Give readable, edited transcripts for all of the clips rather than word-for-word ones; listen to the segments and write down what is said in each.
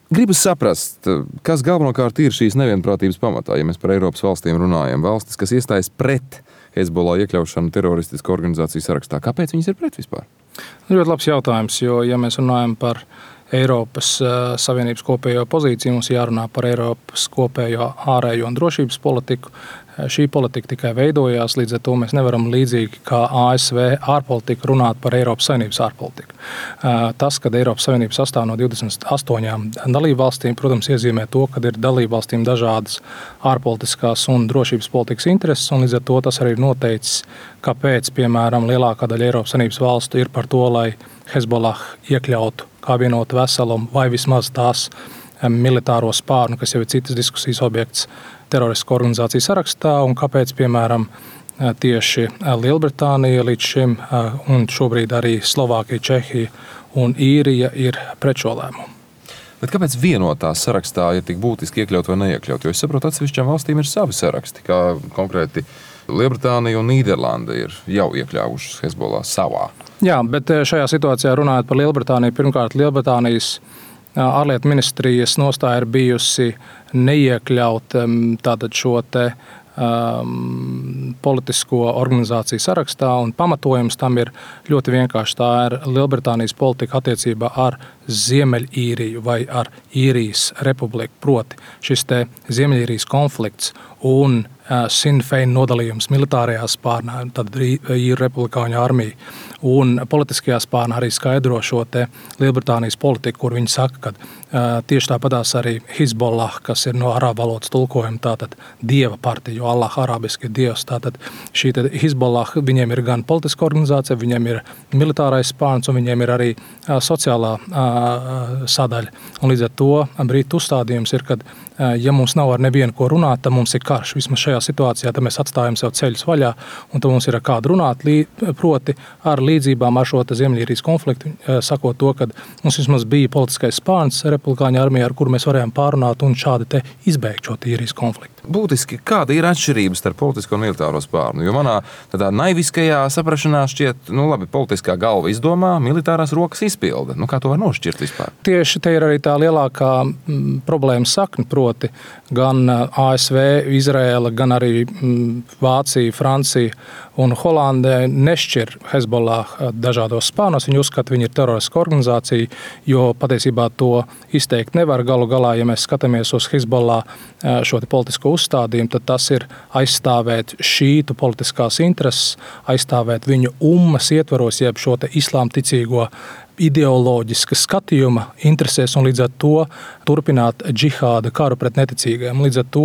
Gribas saprast, kas galvenokārt ir šīs nevienprātības pamatā, ja mēs par Eiropas valstīm runājam. Valstis, kas iestājas pret Hezbollah iekļaušanu teroristisku organizāciju sarakstā. Kāpēc viņas ir pret vispār? Ļoti labs jautājums, jo, ja mēs runājam par Eiropas Savienības kopējo pozīciju, mums jārunā par Eiropas kopējo ārējo un drošības politiku. Šī politika tikai veidojās, līdz ar to mēs nevaram līdzīgi kā ASV ārpolitika runāt par Eiropas Savienības ārpolitiku. Tas, kad Eiropas Savienība sastāv no 28 dalībvalstīm, protams, iezīmē to, ka ir dalībvalstīm dažādas ārpolitiskās un drošības politikas intereses, un līdz ar to tas arī ir noteicis, kāpēc, piemēram, lielākā daļa Eiropas Savienības valstu ir par to, lai Hezbollah iekļautu kā vienotu veselumu vai vismaz tās militāro spārnu, kas jau ir citas diskusijas objekts, teroristisku organizāciju sarakstā, un kāpēc, piemēram, tieši Lielbritānija līdz šim, un šobrīd arī Slovākija, Čehija un Īrija ir pret šo lēmumu. Bet kāpēc vienotā sarakstā ir tik būtiski iekļaut vai neiekļaut? Jo es saprotu, atsevišķām valstīm ir savi saraksti, kā konkrēti Lielbritānija un Nīderlanda ir jau iekļāvušas Hezbollah savā. Jā, bet šajā situācijā runājot par Lielbritāniju, pirmkārt Lielbritānijas ārlietu ministrijas nostāja ir bijusi neiekļaut tātad šo te politisko organizāciju sarakstā, un pamatojums tam ir ļoti vienkārši. Tā ir Lielbritānijas politika attiecībā ar Ziemeļīriju vai ar Īrijas republiku. Proti šis te Ziemeļīrijas konflikts un Sinn Fein nodalījums militārajā spārnā, tad Īru republikāņu armija, un politiskajā spārnā arī skaidro šo te Lielbritānijas politiku, kur viņi saka, ka tieši tāpatās arī Hezbollah, kas ir no arābu valodas tulkojuma, tātad dieva partija, jo Allah arābiski ir dievs, tātad šī te Hezbollah, viņiem ir gan politiska organizācija, viņiem ir militārais spārns, un viņiem ir arī sociālā sadaļa. Un līdz ar to Britu uzstādījums ir, kad ja mums nav ar nevienu ko runāt, tad mums ir karš. Vismaz šajā situācijā tad mēs atstājam sev ceļus vaļā, un tad mums ir ar kādu runāt, proti ar līdzībām ar šo Ziemeļīrijas konfliktu, sakot to, ka mums vismaz bija politiskais spārns republikāņu armijā, ar kuru mēs varējām pārunāt un šādi te izbeigt šo īrijas konfliktu. Būtiski, kāda ir atšķirības starp politisko un militāro spārnu? Jo manā tādā naiviskajā saprašanā šķiet, labi, politiskā galva izdomā, militārās rokas izpilda. Kā to var nošķirt vispār? Tieši te ir arī tā lielākā problēma sakne, proti gan ASV, Izraēla, gan arī Vācija, Francija un Holandē nešķir Hezbollah dažādos spārnos. Viņi uzskata, viņi ir teroristiska organizācija, jo patiesībā to izteikt nevar. Galu galā, ja mēs skatāmies uz Hezbollah šo politisko uzstādījumu, tad tas ir aizstāvēt šītu politiskās intereses, aizstāvēt viņu ummas ietvaros, jeb šo te islām ticīgo ideoloģiska skatījuma interesēs, un līdz ar to turpināt džihāda karu pret neticīgajiem. Līdz ar to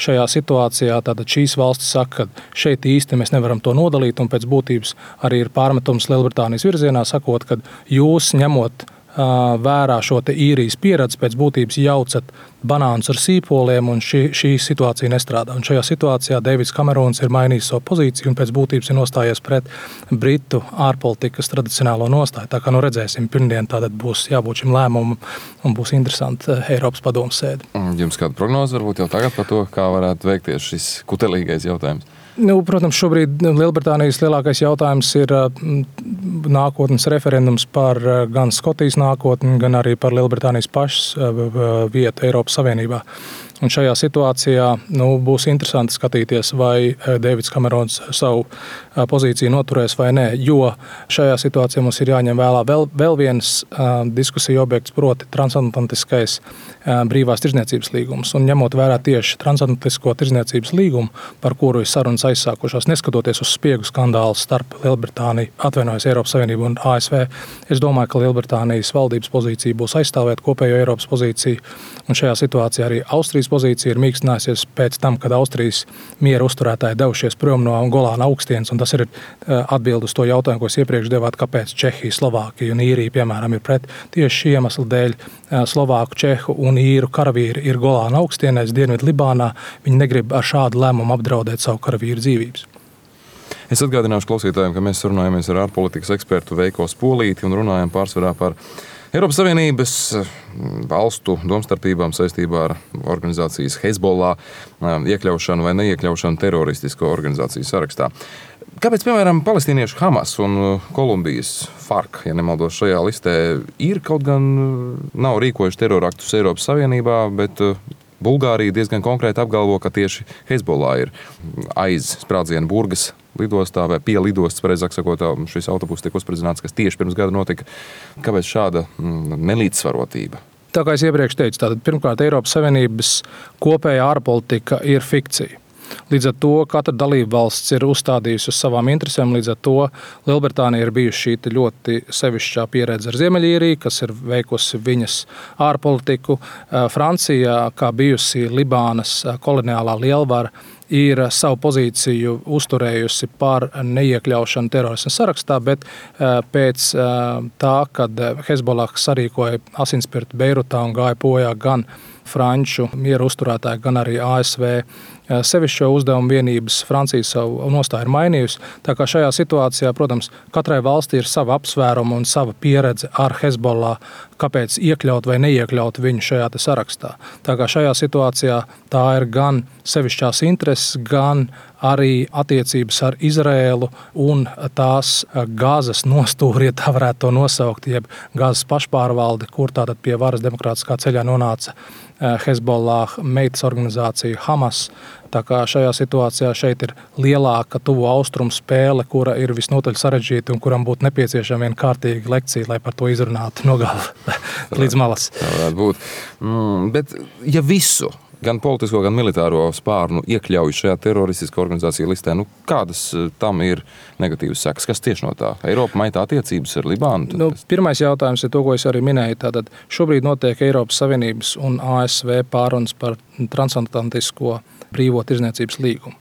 šajā situācijā tātad šīs valstis saka, ka šeit īsti mēs nevaram to nodalīt, un pēc būtības arī ir pārmetums Lielbritānijas virzienā, sakot, ka jūs ņemot vērā šo te īrijas pieredzi, pēc būtības jaucat banānus ar sīpoliem, un šī situācija nestrādā. Un šajā situācijā Deivids Kamerons ir mainījis savu pozīciju un pēc būtības ir nostājies pret Britu ārpolitikas tradicionālo nostāju. Tā kā redzēsim, pirmdien tātad būs jābūt šim lēmumam un būs interesanti Eiropas padomes sēde. Jums kāda prognoze varbūt jau tagad par to, kā varētu veikties šis kutelīgais jautājums? Protams, šobrīd Lielbritānijas lielākais jautājums ir nākotnes referendums par gan Skotijas nākotni, gan arī par Lielbritānijas pašas vietu Eiropas Savienībā. Un šajā situācijā būs interesanti skatīties, vai Deivids Kamerons savu pozīciju noturēs vai nē, jo šajā situācijā mums ir jāņem vēl viens diskusija objekts, proti transatlantiskais brīvās tirdzniecības līgums. Un ņemot vērā tieši transatlantisko tirdzniecības līgumu, par kuru ir sarunas aizsākušās, neskatoties uz spiegu skandālu starp Lielbritāniju, Eiropas Savienību un ASV, es domāju, ka Lielbritānijas valdības pozīcija būs aizstāvēt kopējo Eiropas pozīciju. Un šajā situācijā arī Austrijas pozīcija ir mīkstinājusies pēc tam, kad Austrijas miera uzturētāji devušies prom no Golāna augstienes, un tas ir atbildi uz to jautājumu, ko es iepriekš devāt, kāpēc Čehija, Slovākija un Īrija, piemēram, ir pret. Tieši šī iemesla dēļ Slovāku, Čehu un Īru karavīri ir Golāna augstienēs, Dienvidu Libānā. Viņi negrib ar šādu lēmumu apdraudēt savu karavīru dzīvības. Es atgādināšu klausītājiem, ka mēs runājamies ar ārpolitikas ekspertu Veiko Spolīti un runājam pārsvarā par Eiropas Savienības valstu domstarpībām saistībā ar organizācijas Hezbollah iekļaušanu vai neiekļaušanu teroristisko organizāciju sarakstā. Kāpēc, piemēram, palestīniešu Hamas un Kolumbijas FARC, ja nemaldos šajā listē, ir kaut gan nav rīkojuši teroraktus Eiropas Savienībā, bet Bulgārija diezgan konkrēti apgalvo, ka tieši Hezbollah ir aiz sprādzienu Burgas lidostā vai pie lidostas, pareizāk sakot, šis autobus tiek uzspridzināts, kas tieši pirms gada notika. Kāpēc šāda nelīdzsvarotība? Tā kā es iepriekš teicu, tātad pirmkārt Eiropas Savienības kopējā ārpolitika ir fikcija. Līdz ar to katra dalība valsts ir uzstādījusi uz savām interesēm. Līdz ar to Lielbritānija ir bijusi šī ļoti sevišķā pieredze ar Ziemeļīriju, kas ir veikusi viņas ārpolitiku. Francija, kā bijusi Libānas koloniālā lielvara, ir savu pozīciju uzturējusi par neiekļaušanu terorisma sarakstā, bet pēc tā, kad Hezbollah sarīkoja asinspirtu Beirutā un gāja bojā gan franču miera uzturētāji, gan arī ASV sevišķo uzdevumu vienības, Francija savu nostāju ir mainījusi. Tā kā šajā situācijā, protams, katrai valstī ir sava apsvēruma un sava pieredze ar Hezbollah, kāpēc iekļaut vai neiekļaut viņu šajā sarakstā. Tā kā šajā situācijā tā ir gan sevišķās intereses, gan arī attiecības ar Izraēlu un tās Gazas nostūri, ja tā varētu to nosaukt, jeb Gazas pašpārvalde, kur tātad pie varas demokrātiskā ceļā nonāca Hezbollah meitas organizācija Hamas. Tā kā šajā situācijā šeit ir lielāka tuvo austrumu spēle, kura ir visnotaļ sarežģīta un kuram būtu nepieciešama viena kārtīga lekcija, lai par to izrunātu no gala līdz malas. Tā varētu būt. Bet ja visu, gan politisko, gan militāro spārnu iekļauj šajā teroristiskā organizācija listē, kādas tam ir negatīvas sekas? Kas tieši no tā? Eiropa maitā attiecības ar Libānu? Pirmais jautājums ir to, ko es arī minēju. Tātad šobrīd notiek Eiropas Savienības un ASV pārunas par transatlantisko brīvo tirdzniecības līgumu.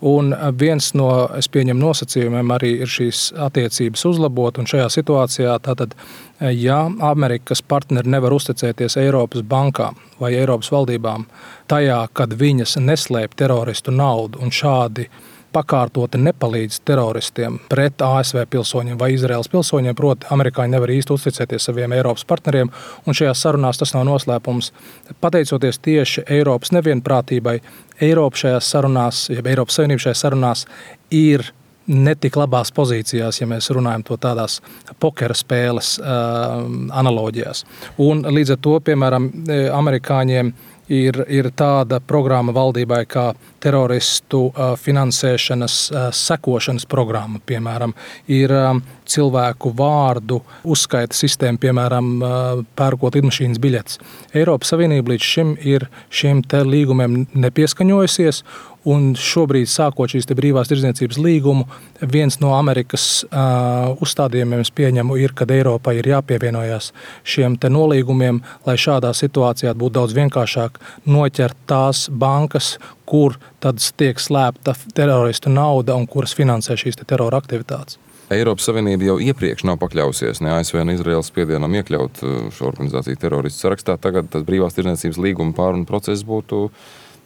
Un viens no, es pieņemu, nosacījumiem arī ir šīs attiecības uzlabot, un šajā situācijā tātad, ja Amerikas partneri nevar uzticēties Eiropas bankām vai Eiropas valdībām tajā, kad viņas neslēp teroristu naudu un šādi pakārtoti nepalīdz teroristiem pret ASV pilsoņiem vai Izraēlas pilsoņiem, proti amerikāņi nevar īsti uzticēties saviem Eiropas partneriem, un šajās sarunās tas nav noslēpums. Pateicoties tieši Eiropas nevienprātībai, Eiropa šajās sarunās, ja Eiropas Savienība šajās sarunās ir netik labās pozīcijās, ja mēs runājam to tādās pokera spēles analoģijās. Un līdz ar to, piemēram, amerikāņiem ir tāda programma valdībai kā teroristu finansēšanas sekošanas programma, piemēram, ir cilvēku vārdu uzskaita sistēma, piemēram, pērkot lidmašīnas biļetes. Eiropas Savienība līdz šim ir šiem te līgumiem nepieskaņojusies, un šobrīd, sākot šīs te brīvās tirdzniecības līgumu, viens no Amerikas uzstādījumiem, es pieņemu, ir, kad Eiropai ir jāpievienojās šiem te nolīgumiem, lai šādā situācijā būtu daudz vienkāršāk noķert tās bankas, kur tad tiek slēpta teroristu nauda un kuras finansē šīs te terora aktivitātes. Eiropas Savienība jau iepriekš nav pakļausies ne ASV, ne Izraēlas spiedienam iekļaut šo organizāciju teroristu sarakstā. Tagad tas brīvās tirdzniecības līguma pārunu process būtu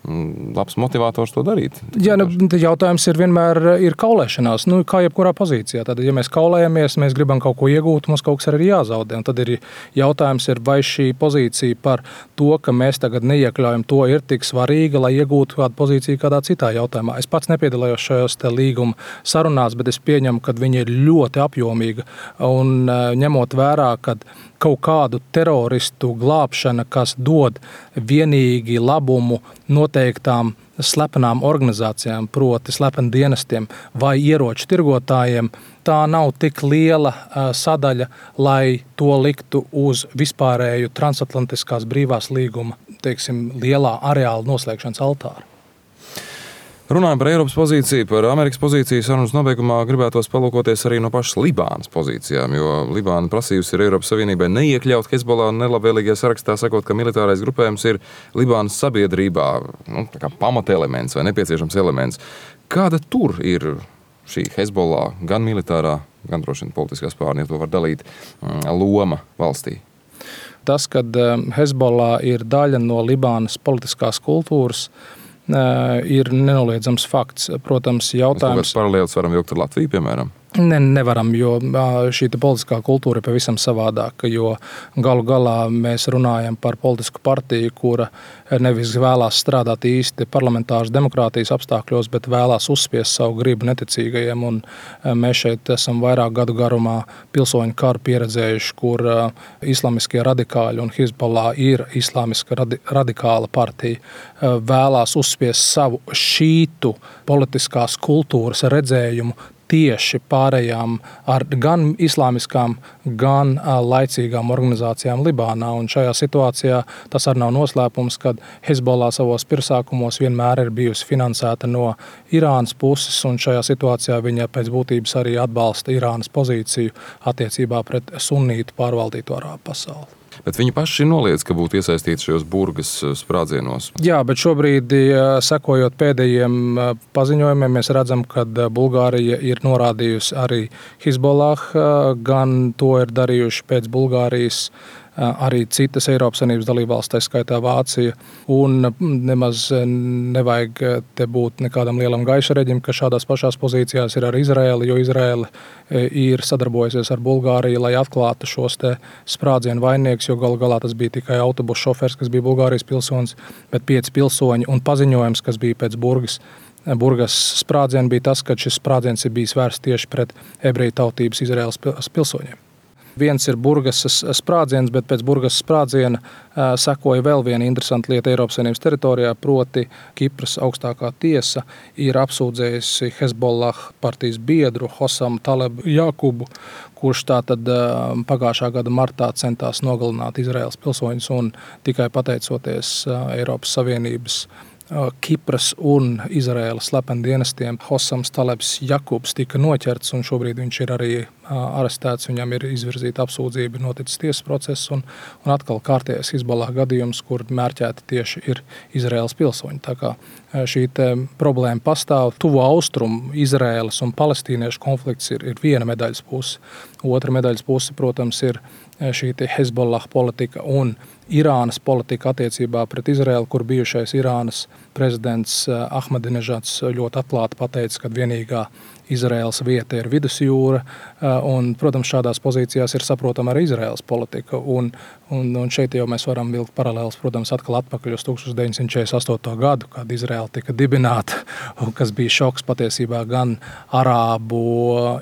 labs motivators to darīt. Jā, jautājums ir vienmēr ir kaulēšanās, kā jebkurā pozīcijā. Tad, ja mēs kaulējamies, mēs gribam kaut ko iegūt, mums kaut kas arī jāzaudē. Un tad ir jautājums, vai šī pozīcija par to, ka mēs tagad neiekļaujam to, ir tik svarīga, lai iegūtu kādu pozīciju kādā citā jautājumā. Es pats nepiedalījos šajos te līguma sarunās, bet es pieņemu, ka viņi ir ļoti apjomīga. Un ņemot vērā, kad kaut kādu teroristu glābšana, kas dod vienīgi labumu noteiktām slepenām organizācijām, proti slepeni dienestiem vai ieroču tirgotājiem, tā nav tik liela sadaļa, lai to liktu uz vispārēju transatlantiskās brīvās līguma, lielā areāla noslēgšanas altāra. Runājot par Eiropas pozīciju, par Amerikas pozīciju, sarunas nobeigumā gribētos palūkoties arī no pašas Libānas pozīcijām, jo Libāna prasījusi ir Eiropas Savienībai neiekļaut Hezbollah nelabvēlīgajā sarakstā, sakot, ka militārais grupējums ir Libānas sabiedrībā pamatelements vai nepieciešams elements. Kāda tur ir šī Hezbollah, gan militārā, gan droši vien politiskā spārna, ja to var dalīt, loma valstī? Tas, kad Hezbollah ir daļa no Libānas politiskās kultūras, ir nenoliedzams fakts. Protams, jautājums... Mēs paralēlis varam vilkt ar Latviju, piemēram? Nevaram, jo šī politiskā kultūra ir pavisam savādāka, jo galu galā mēs runājam par politisku partiju, kura nevis vēlās strādāt īsti parlamentāras demokrātijas apstākļos, bet vēlās uzspiest savu gribu neticīgajiem. Un mēs šeit esam vairāk gadu garumā pilsoņu karu pieredzējuši, kur islamiskie radikāļi un Hizbollah ir islamiska radikāla partija, vēlās uzspiest savu šītu politiskās kultūras redzējumu tieši pārējām ar gan islāmiskām, gan laicīgām organizācijām Libānā. Un šajā situācijā tas arī nav noslēpums, kad Hezbollah savos pirmsākumos vienmēr ir bijusi finansēta no Irānas puses, un šajā situācijā viņa pēc būtības arī atbalsta Irānas pozīciju attiecībā pret sunnītu pārvaldīto arābu pasauli. Bet viņi paši noliedz, ka būtu iesaistīti šajos burgas sprādzienos. Jā, bet šobrīd, sekojot pēdējiem paziņojumiem, mēs redzam, ka Bulgārija ir norādījusi arī Hizbollah, gan to ir darījuši pēc Bulgārijas arī citas Eiropas Savienības dalībvalstis, tā skaitā Vācija. Un nemaz nevajag te būt nekādam lielam gaiša reģim, ka šādās pašās pozīcijās ir arī Izraēla, jo Izraēla ir sadarbojusies ar Bulgāriju, lai atklātu šos te sprādzienu vainniekus, jo galu galā tas bija tikai autobusu šofers, kas bija Bulgārijas pilsonis, bet 5 pilsoņi un paziņojums, kas bija pēc Burgas sprādziena, bija tas, ka šis sprādziens ir bijis vērsts tieši pret ebreju tautības Izraēlas pilsoņiem. Viens ir Burgas sprādziens, bet pēc Burgas sprādziena sekoja vēl viena interesanta lieta Eiropas Savienības teritorijā, proti Kipras augstākā tiesa ir apsūdzējusi Hezbollah partijas biedru Hosamu Talebu Jakubu, kurš tātad pagājušā gada martā centās nogalināt Izraēlas pilsoņus, un tikai pateicoties Eiropas Savienības Kipras un Izraēlas slependienestiem Hosams Talebs Jakubs tika noķerts, un šobrīd viņš ir arī arestēts. Viņam ir izvirzīta apsūdzība, noticis tiesas process, un atkal kārtējais Hizbollah gadījums, kur mērķēti tieši ir Izraēlas pilsoņi. Tā kā šī problēma pastāv. Tuvo austrumu Izraēlas un palestīniešu konflikts ir viena medaļas puse. Otra medaļas puse, protams, ir šī Hezbollah politika un Irānas politika attiecībā pret Izraēlu, kur bijušais Irānas prezidents Ahmadinežads ļoti atklāti pateica, ka vienīgā Izraēlas vieta ir vidusjūra, un, protams, šādās pozīcijās ir saprotama arī Izraēlas politika, un šeit jau mēs varam vilkt paralēlus, protams, atkal atpakaļ uz 1948. gadu, kad Izraēla tika dibināta, kas bija šoks patiesībā gan arābu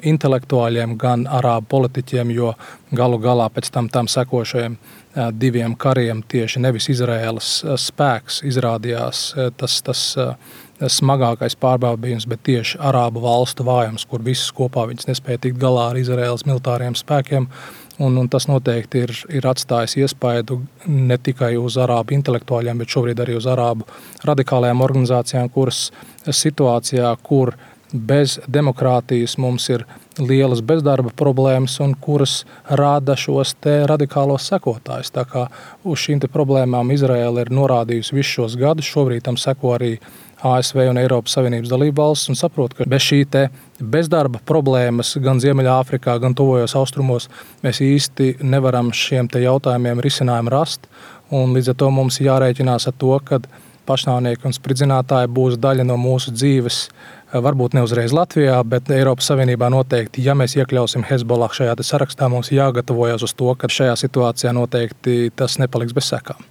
intelektuāļiem, gan arābu politiķiem, jo galu galā pēc tam sekošajiem 2 kariem tieši nevis Izraēlas spēks izrādījās tas smagākais pārbaudījums, bet tieši arābu valstu vājums, kur visas kopā viņas nespēja tikt galā ar Izraēlas militāriem spēkiem. Un tas noteikti ir atstājis iespaidu ne tikai uz arābu intelektuāļiem, bet šobrīd arī uz arābu radikālajām organizācijām, kuras situācijā, kur bez demokrātijas mums ir lielas bezdarba problēmas un kuras rada šos te radikālos sekotājus. Tā kā uz šīm te problēmām Izraēla ir norādījusi visus šos gadus, šobrīd tam seko arī ASV un Eiropas Savienības dalībvalstis, un saprot, ka bez šī te bezdarba problēmas gan Ziemeļāfrikā, gan tuvojos austrumos mēs īsti nevaram šiem te jautājumiem risinājumu rast, un līdz ar to mums jārēķinās ar to, ka pašnāvnieki un spridzinātāji būs daļa no mūsu dzīves, varbūt ne uzreiz Latvijā, bet Eiropas Savienībā noteikti, ja mēs iekļausim Hezbollah šajā sarakstā, mums jāgatavojas uz to, ka šajā situācijā noteikti tas nepaliks bez sekām.